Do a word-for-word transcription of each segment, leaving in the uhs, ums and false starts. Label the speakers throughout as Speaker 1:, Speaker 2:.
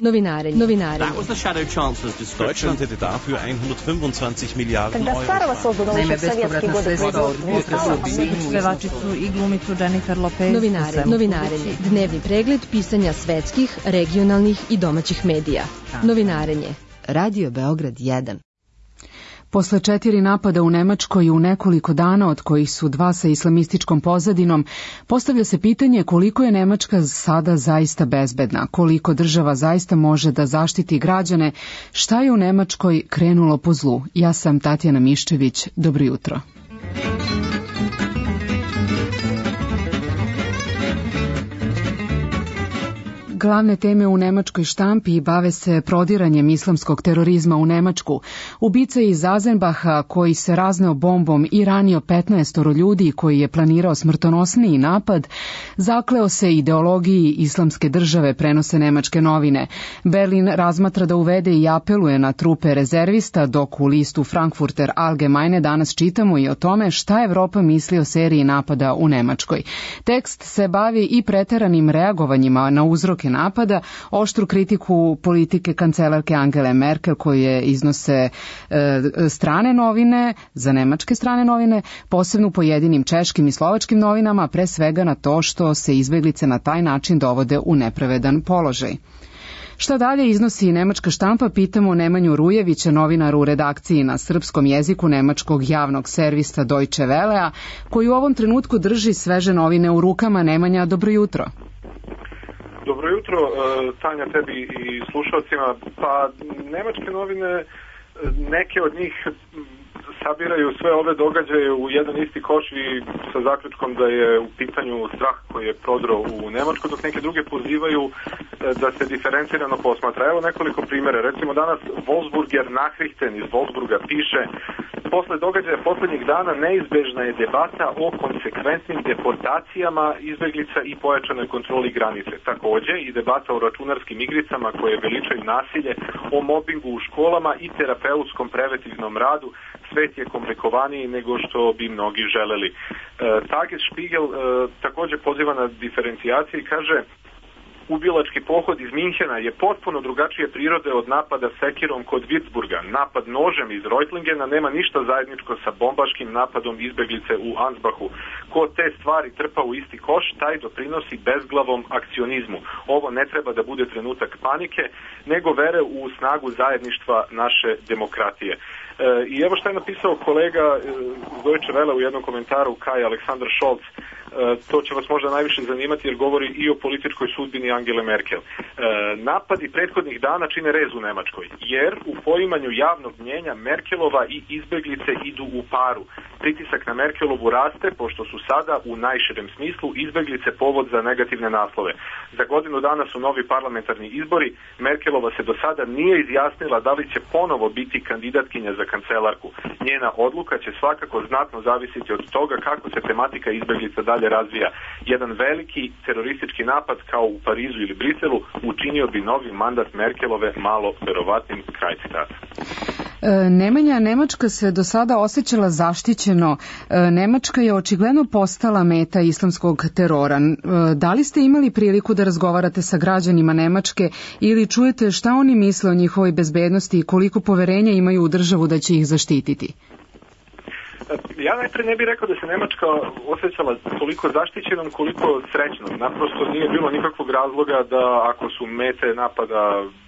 Speaker 1: Novinarenje. Novinarenje.
Speaker 2: That was the shadow chancellor's description.
Speaker 3: Deutschland hätte dafür hundertfünfundzwanzig Milliarden Euro.
Speaker 4: Naime, bespovratna sredstva od budžeta su pevačicu i glumicu Jennifer Lopez.
Speaker 1: Novinarenje. Novinarenje. Dnevni pregled pisanja svetskih, regionalnih i domaćih medija. Novinarenje. Radio Beograd jedan.
Speaker 5: Posle četiri napada u Nemačkoj u nekoliko dana, od kojih su dva sa islamističkom pozadinom, postavlja se pitanje koliko je Nemačka sada zaista bezbedna, koliko država zaista može da zaštiti građane, šta je u Nemačkoj krenulo po zlu. Ja sam Tatjana Miščević, dobro jutro. Glavne teme u nemačkoj štampi bave se prodiranjem islamskog terorizma u Nemačku. Ubica iz Azenbaha, koji se razneo bombom i ranio petnaestoro ljudi, koji je planirao smrtonosniji napad, zakleo se ideologiji islamske države, prenose nemačke novine. Berlin razmatra da uvede i apeluje na trupe rezervista, dok u listu Frankfurter Allgemeine danas čitamo i o tome šta Evropa misli o seriji napada u Nemačkoj. Tekst se bavi i preteranim reagovanjima na uzroke napada, oštru kritiku politike kancelarke Angele Merkel koje iznose e, strane novine, za nemačke strane novine, posebno pojedinim češkim i slovačkim novinama, pre svega na to što se izbeglice na taj način dovode u nepravedan položaj. Šta dalje iznosi nemačka štampa, pitamo Nemanju Rujevića, novinaru u redakciji na srpskom jeziku nemačkog javnog servisa Deutsche Wellea, koji u ovom trenutku drži sveže novine u rukama. Nemanja, dobro jutro.
Speaker 6: Dobro jutro, Tanja, tebi i slušalcima. Pa, nemačke novine, neke od njih sabiraju sve ove događaje u jedan isti koš i sa zaključkom da je u pitanju strah koji je prodro u Nemačku, dok neke druge pozivaju da se diferencirano posmatra. Evo nekoliko primjera. Recimo danas Wolfsburger Nachrichten iz Wolfsburga piše: posle događaja poslednjih dana neizbežna je debata o konsekventnim deportacijama izbeglica i pojačanoj kontroli granice. Takođe i debata o računarskim igricama koje veličaju nasilje, o mobingu u školama i terapeutskom preventivnom radu. Svet je komplikovaniji nego što bi mnogi želeli. E, Tagesspiegel e, takođe poziva na diferencijaciju i kaže: ubilački pohod iz Minhena je potpuno drugačije prirode od napada sekirom kod Würzburga. Napad nožem iz Reutlingena nema ništa zajedničko sa bombaškim napadom izbeglice u Ansbachu. Ko te stvari trpa u isti koš, taj doprinosi bezglavom akcionizmu. Ovo ne treba da bude trenutak panike, nego vere u snagu zajedništva naše demokratije. E, I evo što je napisao kolega iz Deutsche Welle u jednom komentaru, Kai Alexander Scholz. E, to će vas možda najviše zanimati jer govori i o političkoj sudbini Angele Merkel. E, napadi prethodnih dana čine rez u Nemačkoj, jer u poimanju javnog mnjenja Merkelova i izbeglice idu u paru. Pritisak na Merkelovu raste, pošto su sada u najširem smislu izbeglice povod za negativne naslove. Za godinu dana su novi parlamentarni izbori. Merkelova se do sada nije izjasnila da li će ponovo biti kandidatkinja za kancelarku. Njena odluka će svakako znatno zavisiti od toga kako se tematika izbeglica dalje razvija. Jedan veliki teroristički napad kao u Parizu ili Briselu učinio bi novi mandat Merkelove malo verovatnim. Kraj citata.
Speaker 5: E, Nemanja, Nemačka se do sada osjećala zaštićeno. E, Nemačka je očigledno postala meta islamskog terora. E, da li ste imali priliku da razgovarate sa građanima Nemačke ili čujete šta oni misle o njihovoj bezbednosti i koliko poverenja imaju u državu da će ih zaštititi?
Speaker 6: Ja najpre ne bih rekao da se Nemačka osjećala toliko zaštićenom koliko srećnom. Naprosto nije bilo nikakvog razloga da ako su mete napada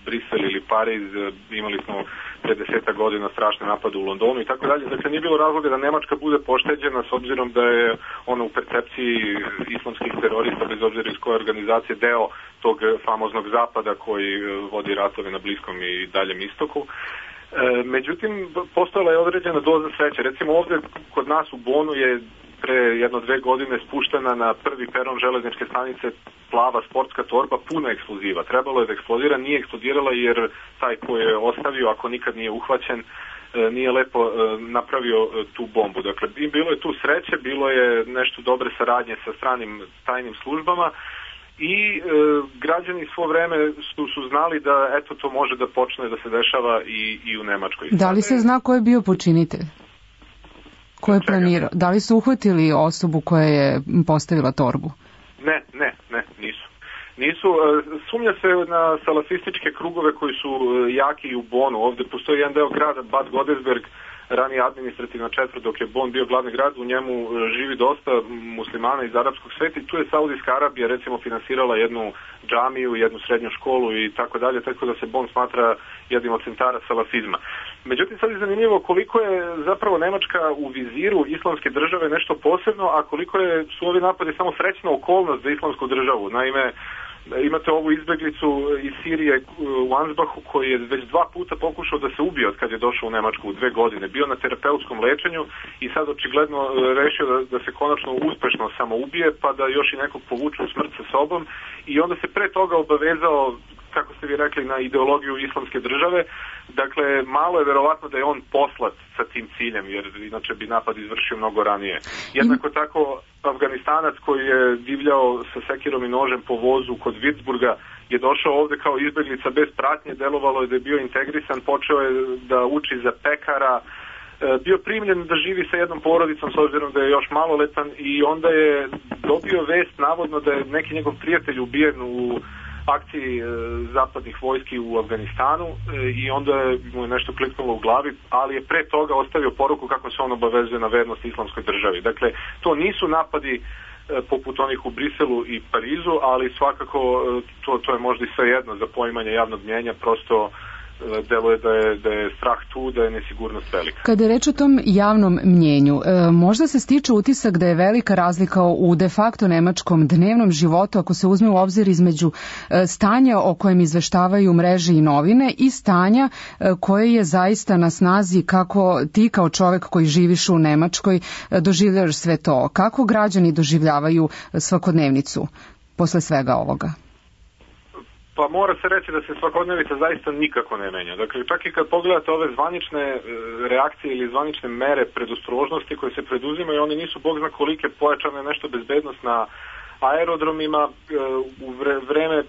Speaker 6: Brisel ili Pariz, imali smo pre desetak godina strašne napade u Londonu i tako dalje. Dakle, nije bilo razloga da Nemačka bude pošteđena s obzirom da je ona u percepciji islamskih terorista, bez obzira iz koje organizacije, deo tog famoznog zapada koji vodi ratove na Bliskom i daljem istoku. Međutim, postojala je određena doza sreće. Recimo ovde kod nas u Bonu je pre jedno dve godine spuštena na prvi peron železničke stanice plava sportska torba puna eksploziva. Trebalo je da eksplodira, nije eksplodirala jer taj ko je ostavio, ako nikad nije uhvaćen, nije lepo napravio tu bombu. Dakle, bilo je tu sreće, bilo je nešto dobre saradnje sa stranim tajnim službama i e, građani svo vreme su, su znali da eto to može da počne da se dešava i, i u Nemačkoj.
Speaker 5: Da li se zna ko je bio počinitelj? Ko je planirao? Da li su uhvatili osobu koja je postavila torbu?
Speaker 6: Ne, ne, ne, nisu. Nisu, sumnja se na salafističke krugove koji su jaki i u Bonu. Ovde postoji jedan deo grada, Bad Godesberg, ranije administrativna četvrt, dok je Bon bio glavni grad, u njemu živi dosta muslimana iz arapskog sveta i tu je Saudijska Arabija recimo finansirala jednu džamiju, jednu srednju školu i tako dalje, tako da se Bon smatra jednim od centara salafizma. Međutim, sad je zanimljivo koliko je zapravo Nemačka u viziru islamske države nešto posebno, a koliko je, su ovi napadi samo srećna okolnost za islamsku državu. Naime, imate ovu izbeglicu iz Sirije u Ansbachu koji je već dva puta pokušao da se ubije od kad je došao u Nemačku u dve godine. Bio na terapeutskom lečenju i sad očigledno rešio da, da se konačno uspešno samo ubije pa da još i nekog povuče u smrt sa sobom i onda se pre toga obavezao, kako ste vi rekli, na ideologiju islamske države. Dakle, malo je verovatno da je on poslat sa tim ciljem, jer inače bi napad izvršio mnogo ranije. Jednako tako, Afganistanac koji je divljao sa sekirom i nožem po vozu kod Würzburga je došao ovde kao izbeglica bez pratnje, delovalo je da je bio integrisan, počeo je da uči za pekara, bio primljen da živi sa jednom porodicom s obzirom da je još maloletan i onda je dobio vest navodno da je neki njegov prijatelj ubijen u akciji e, zapadnih vojski u Afganistanu e, i onda mu je nešto kliknulo u glavi, ali je pre toga ostavio poruku kako se on obavezuje na vernost islamskoj državi. Dakle, to nisu napadi e, poput onih u Briselu i Parizu, ali svakako e, to, to je možda i sve jedno za poimanje javnog mnjenja, prosto deluje da je, da je strah tu, da je nesigurnost velika.
Speaker 5: Kada je reč o tom javnom mnjenju, možda se stiče utisak da je velika razlika u de facto nemačkom dnevnom životu ako se uzme u obzir između stanja o kojem izveštavaju mreže i novine i stanja koje je zaista na snazi kako ti kao čovek koji živiš u Nemačkoj doživljavaš sve to. Kako građani doživljavaju svakodnevnicu posle svega ovoga?
Speaker 6: Pa mora se reći da se svakodnevica zaista nikako ne menja. Dakle, čak i kad pogledate ove zvanične reakcije ili zvanične mere predostrožnosti koje se preduzimaju, oni nisu bog zna kolike pojačane nešto bezbednost na aerodromima. U vreme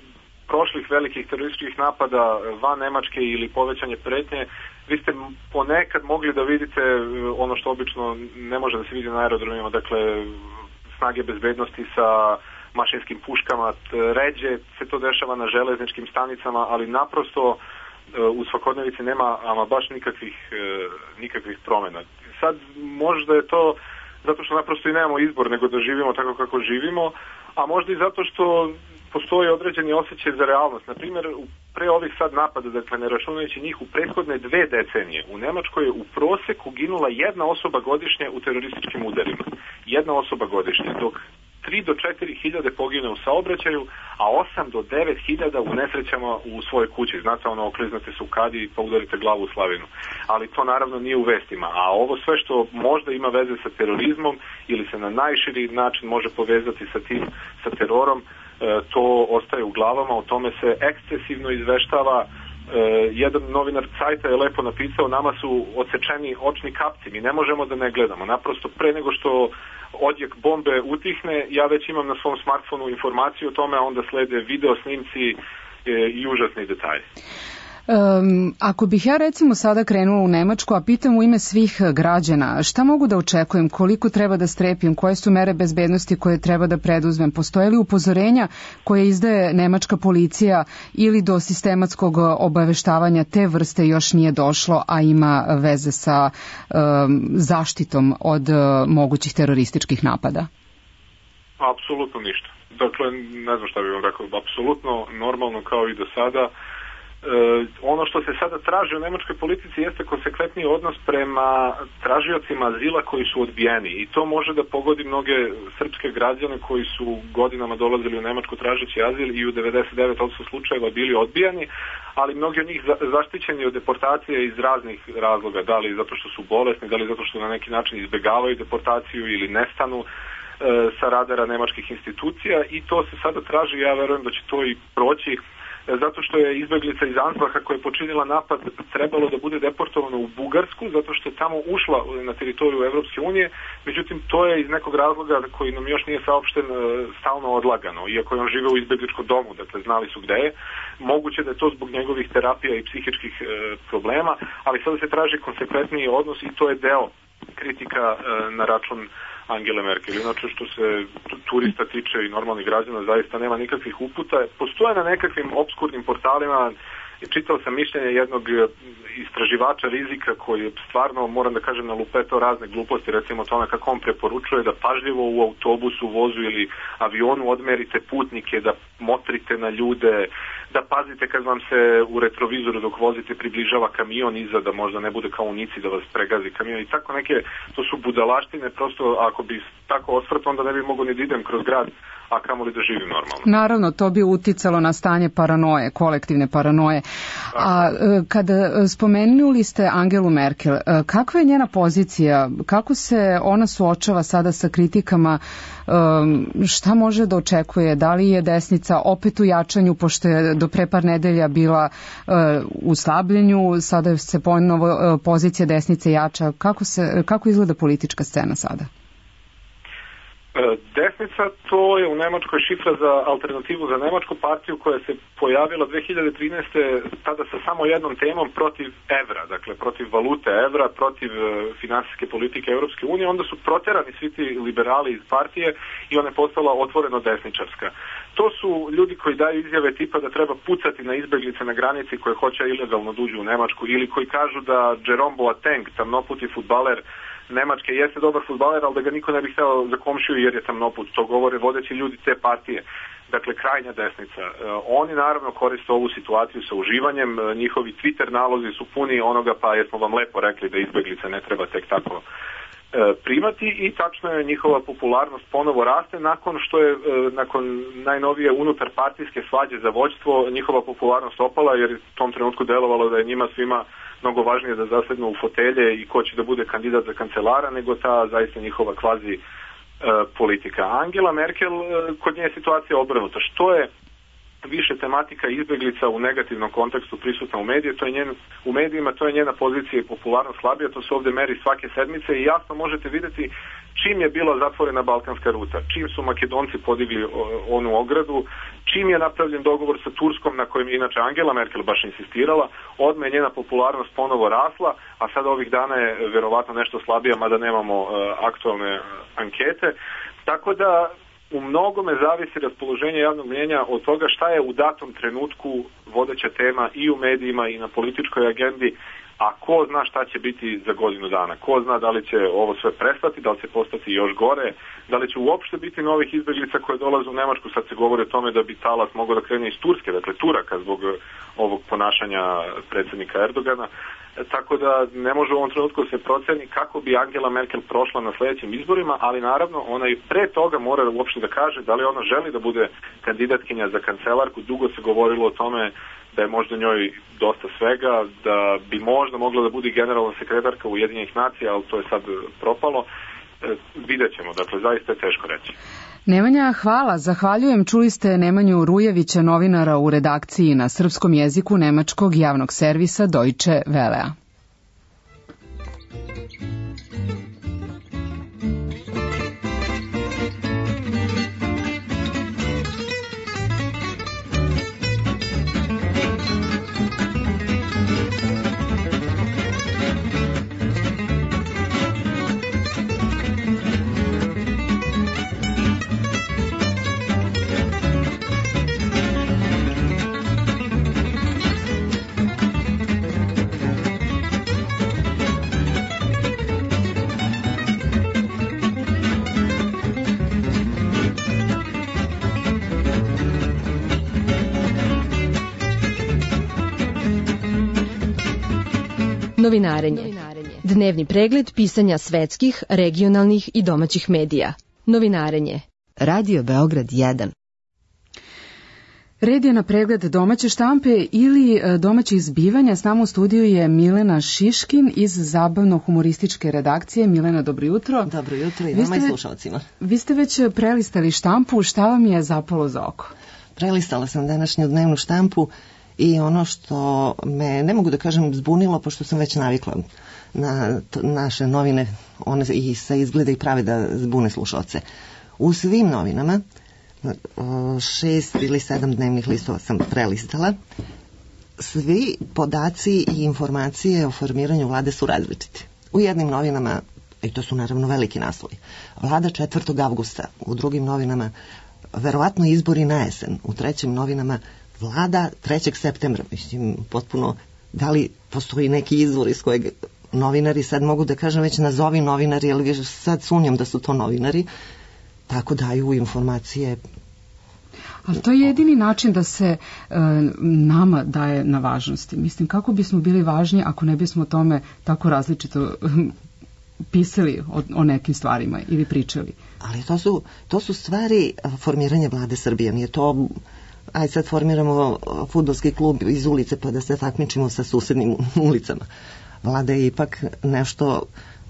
Speaker 6: prošlih velikih terorističkih napada van Nemačke ili povećanje pretnje, vi ste ponekad mogli da vidite ono što obično ne može da se vidi na aerodromima, dakle snage bezbednosti sa mašinskim puškama, ređe se to dešava na železničkim stanicama, ali naprosto u svakodnevici nema ama baš nikakvih, nikakvih promjena. Sad možda je to zato što naprosto i nemamo izbor nego da živimo tako kako živimo, a možda i zato što postoji određeni osjećaj za realnost. Naprimjer, pre ovih sad napada, dakle ne računajući njih, u prethodne dve decenije u Nemačkoj je u proseku ginula jedna osoba godišnje u terorističkim udarima. Jedna osoba godišnje, dok tri do četiri hiljade pogine u saobraćaju, a osam do devet hiljada u nesrećama u svojoj kući. Znate, ono, okliznate se u kadi pa udarite glavu u slavinu. Ali to naravno nije u vestima. A ovo sve što možda ima veze sa terorizmom ili se na najširi način može povezati sa tim, sa terorom, to ostaje u glavama, o tome se ekscesivno izveštava. Jedan novinar Cajta je lepo napisao, nama su odsečeni očni kapci, mi ne možemo da ne gledamo. Naprosto pre nego što odjek bombe utihne, ja već imam na svom smartfonu informaciju o tome, a onda slede video snimci i užasni detalji.
Speaker 5: Um, ako bih ja recimo sada krenula u Nemačku, a pitam u ime svih građana, šta mogu da očekujem, koliko treba da strepim, koje su mere bezbednosti koje treba da preduzmem, postoje li upozorenja koje izdaje nemačka policija ili do sistematskog obaveštavanja te vrste još nije došlo, a ima veze sa um, zaštitom od uh, mogućih terorističkih napada?
Speaker 6: Apsolutno ništa. Dakle, ne znam šta bih vam rekao, apsolutno normalno kao i do sada. E, ono što se sada traži u nemačkoj politici jeste konsekventni odnos prema tražiocima azila koji su odbijeni i to može da pogodi mnoge srpske građane koji su godinama dolazili u Nemačku tražeći azil i u devedeset devet posto slučajeva bili odbijani, ali mnogi od njih za, zaštićeni od deportacije iz raznih razloga, da li zato što su bolesni, da li zato što na neki način izbegavaju deportaciju ili nestanu e, sa radara nemačkih institucija i to se sada traži, ja verujem da će to i proći, zato što je izbeglica iz Ansbacha koja je počinila napad trebalo da bude deportovano u Bugarsku, zato što je tamo ušla na teritoriju Evropske unije, međutim to je iz nekog razloga koji nam još nije saopšten stalno odlagano, iako je on živeo u izbegličkom domu, dakle znali su gde je. Moguće da je to zbog njegovih terapija i psihičkih e, problema, ali sada se traži konsekventniji odnos i to je deo kritika e, na račun Angele Merkel. Inače što se turista tiče i normalnih građana zaista nema nikakvih uputa. Postoje na nekakvim obskurnim portalima, čitao sam mišljenje jednog istraživača rizika koji stvarno, moram da kažem, na lupeto razne gluposti, recimo o tome kako on preporučuje da pažljivo u autobusu, vozu ili avionu odmerite putnike, da motrite na ljude, da pazite kad vam se u retrovizoru dok vozite približava kamion iza, da možda ne bude kao u Nici da vas pregazi kamion i tako neke, to su budalaštine, prosto ako bi tako osvrt onda ne bi mogo ni da idem kroz grad, a kamoli da živim normalno.
Speaker 5: Naravno, to bi uticalo na stanje paranoje, kolektivne paranoje. A kada spomenuli ste Angelu Merkel, kakva je njena pozicija? Kako se ona suočava sada sa kritikama? Šta može da očekuje? Da li je desnica opet u jačanju, pošto je do pre par nedelja bila u slabljenju, sada se ponovo pozicija desnice jača? Kako, se, kako izgleda politička scena sada?
Speaker 6: Desnica, to je u Nemačkoj šifra za alternativu za nemačku partiju koja se pojavila dve hiljade trinaeste. tada sa samo jednom temom protiv evra, dakle protiv valute evra, protiv finansijske politike Europske unije. Onda su proterani svi ti liberali iz partije i ona je postala otvoreno desničarska. To su ljudi koji daju izjave tipa da treba pucati na izbeglice na granici koje hoće ilegalno duđu u Nemačku ili koji kažu da Jerome Boateng, tamnoputi fudbaler Nemačke, jeste dobar fudbaler, ali da ga niko ne bi hteo za komšiju jer je tamnoput. To govore vodeći ljudi te partije. Dakle, krajnja desnica. E, oni naravno koriste ovu situaciju sa uživanjem. E, njihovi Twitter nalozi su puni onoga, pa jesmo vam lepo rekli da izbeglice ne treba tek tako e, primati i tačno je njihova popularnost ponovo raste nakon što je, e, nakon najnovije unutar partijske svađe za vođstvo, njihova popularnost opala jer je u tom trenutku delovalo da je njima svima mnogo važnije da zasednu u fotelje i ko će da bude kandidat za kancelara nego ta zaista njihova kvazi e, politika. Angela Merkel, e, kod nje je situacija obrnuta. Što je više tematika izbeglica u negativnom kontekstu prisutna u medije, to je njen, u medijima, to je njena pozicija i popularnost slabija, to se ovdje meri svake sedmice i jasno možete vidjeti čim je bila zatvorena balkanska ruta, čim su Makedonci podigli onu ogradu, čim je napravljen dogovor sa Turskom na kojem je inače Angela Merkel baš insistirala, odmah je njena popularnost ponovo rasla, a sada ovih dana je verovatno nešto slabija, mada nemamo uh, aktualne uh, ankete, tako da u mnogome zavisi raspoloženje javnog mnjenja od toga šta je u datom trenutku vodeća tema i u medijima i na političkoj agendi, a ko zna šta će biti za godinu dana. Ko zna da li će ovo sve prestati, da li će postati još gore, da li će uopšte biti novih izbeglica koje dolaze u Nemačku. Sad se govori o tome da bi talas mogao da krene iz Turske, dakle Turaka zbog ovog ponašanja predsjednika Erdogana. Tako da ne može u ovom trenutku se proceni kako bi Angela Merkel prošla na sljedećim izborima, ali naravno ona i pre toga mora uopšte da kaže da li ona želi da bude kandidatkinja za kancelarku. Dugo se govorilo o tome da je možda njoj dosta svega, da bi možda mogla da bude generalna sekretarka Ujedinjenih nacija, ali to je sad propalo. E, vidjet ćemo, dakle zaista je teško reći.
Speaker 5: Nemanja, hvala. Zahvaljujem. Čuli ste Nemanju Rujevića, novinara u redakciji na srpskom jeziku nemačkog javnog servisa Deutsche Wellea.
Speaker 1: Novinarenje. Dnevni pregled pisanja svetskih, regionalnih i domaćih medija. Novinarenje. Radio Beograd jedan.
Speaker 5: Red je na pregled domaće štampe ili domaćih zbivanja. S nama u studiju je Milena Šiškin iz zabavno-humorističke redakcije. Milena, dobro jutro.
Speaker 2: Dobro jutro i vama i slušalcima.
Speaker 5: Vi ste već prelistali štampu. Šta vam je zapalo za oko?
Speaker 2: Prelistala sam današnju dnevnu štampu i ono što me, ne mogu da kažem, zbunilo, pošto sam već navikla na to, naše novine, one i se izgleda i prave da zbune slušalce. U svim novinama, šest ili sedam dnevnih listova sam prelistala, svi podaci i informacije o formiranju vlade su različiti. U jednim novinama I to su naravno veliki naslovi. Vlada četvrtog avgusta, u drugim novinama verovatno izbori na jesen, u trećim novinama vlada trećeg septembra. Mislim, potpuno, da li postoji neki izvor iz kojeg novinari, sad mogu da kažem već nazovi novinari, ali sad sumnjam da su to novinari, tako daju informacije.
Speaker 5: Ali to je jedini način da se e, nama daje na važnosti. Mislim, kako bismo bili važni ako ne bismo o tome tako različito pisali o, o nekim stvarima ili pričali?
Speaker 2: Ali to su, to su stvari formiranja vlade Srbije. Nije to, aj sad formiramo fudbalski klub iz ulice pa da se takmičimo sa susednim ulicama. Vlada je ipak nešto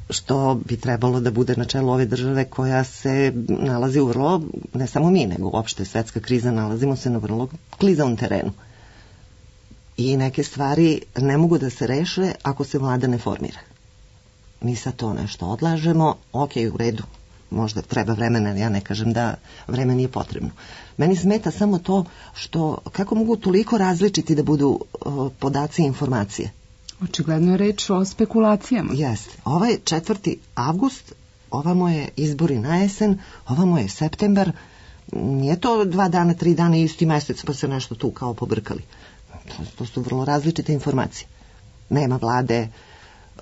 Speaker 2: što bi trebalo da bude na čelu ove države koja se nalazi u vrlo, ne samo mi, nego uopšte svetska kriza, nalazimo se na vrlo klizavom terenu. I neke stvari ne mogu da se reše ako se vlada ne formira. Mi sad to nešto odlažemo, ok, u redu, možda treba vremena, ja ne kažem da vreme nije potrebno. Meni smeta samo to što, kako mogu toliko različiti da budu uh, podaci i informacije.
Speaker 5: Očigledno je reč o spekulacijama.
Speaker 2: Jeste. Ovaj četvrti avgust, ovamo je izbori na jesen, ovamo je septembar, nije to dva dana, tri dana isti mesec pa se nešto tu kao pobrkali. To, to su vrlo različite informacije. Nema vlade,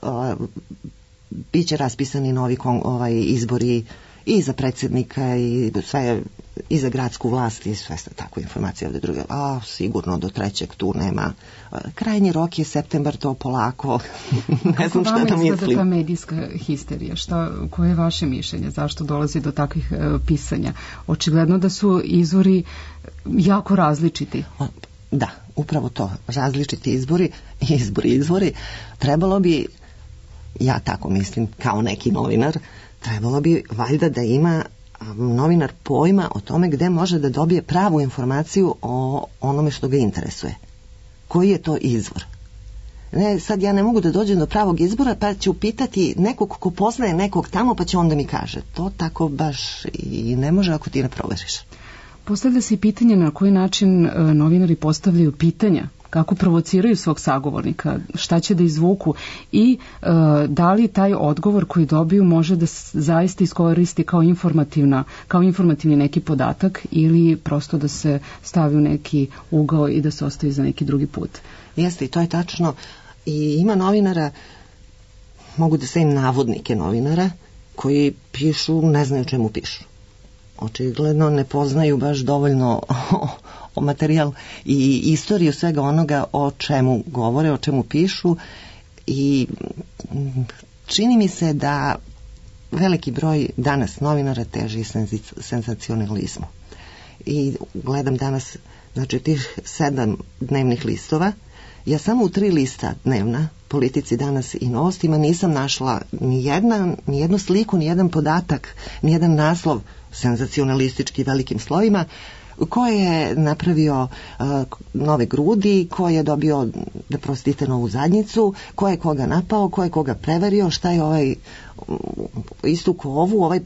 Speaker 2: uh, bit će raspisani novi kon, ovaj, izbori i za predsjednika i sve, i za gradsku vlast i sve tako informacije ovde druge. A, sigurno do trećeg tu nema. Krajnji rok je septembar, to polako. Ne znam šta da mislim. Kako vama
Speaker 5: ta medijska histerija? Šta, koje je vaše mišljenje? Zašto dolazi do takvih uh, pisanja? Očigledno da su izvori jako različiti.
Speaker 2: Da, upravo to. Različiti izbori, izbori, izvori. Trebalo bi, ja tako mislim, kao neki novinar, trebalo bi valjda da ima novinar pojma o tome gde može da dobije pravu informaciju o onome što ga interesuje. Koji je to izvor? Ne, sad ja ne mogu da dođem do pravog izbora pa ću pitati nekog ko poznaje nekog tamo pa će onda mi kaže. To tako baš i ne može ako ti ne proveriš.
Speaker 5: Postavlja se i pitanje na koji način novinari postavljaju pitanja, kako provociraju svog sagovornika, šta će da izvuku i e, da li taj odgovor koji dobiju može da zaista iskoristi kao informativna, kao informativni neki podatak ili prosto da se stavi u neki ugao i da se ostavi za neki drugi put.
Speaker 2: Jeste, i to je tačno. I ima novinara, mogu da stavim navodnike novinara, koji pišu, ne znaju čemu pišu. Očigledno ne poznaju baš dovoljno o, o materijal i istoriju svega onoga o čemu govore, o čemu pišu i čini mi se da veliki broj danas novinara teži senzacionalizmu. I gledam danas, znači tih sedam dnevnih listova, ja samo u tri lista dnevna, Politici danas i Novostima, nisam našla ni, jedna, ni jednu sliku, ni jedan podatak, ni jedan naslov senzacionalistički velikim slovima, ko je napravio uh, nove grudi, ko je dobio, da prostite, novu zadnjicu, ko je koga napao, ko je koga prevario, šta je ovaj uh, istuko ovu, ovaj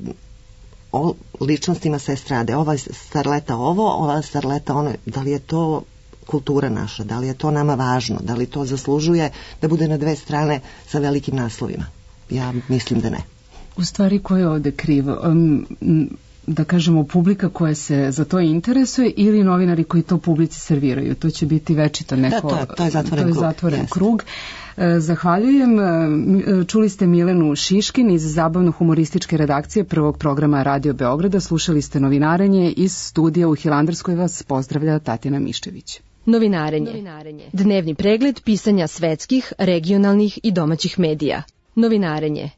Speaker 2: o ličnostima se strade, ova starleta ovo, ova starleta ono, da li je to kultura naša, da li je to nama važno, da li to zaslužuje da bude na dve strane sa velikim naslovima? Ja mislim da ne.
Speaker 5: U stvari, ko je ovde kriv? Um, da kažemo, publika koja se za to interesuje ili novinari koji to publici serviraju? To će biti večito neko...
Speaker 2: Da, to je, to je zatvoren,
Speaker 5: to je
Speaker 2: krug.
Speaker 5: zatvoren krug. Zahvaljujem. Čuli ste Milenu Šiškin iz zabavno-humorističke redakcije prvog programa Radio Beograda. Slušali ste Novinarenje iz studija u Hilandarskoj. Vas pozdravlja Tatjana Miščević.
Speaker 1: Novinarenje. Novinarenje. Dnevni pregled pisanja svetskih, regionalnih i domaćih medija. Novinarenje.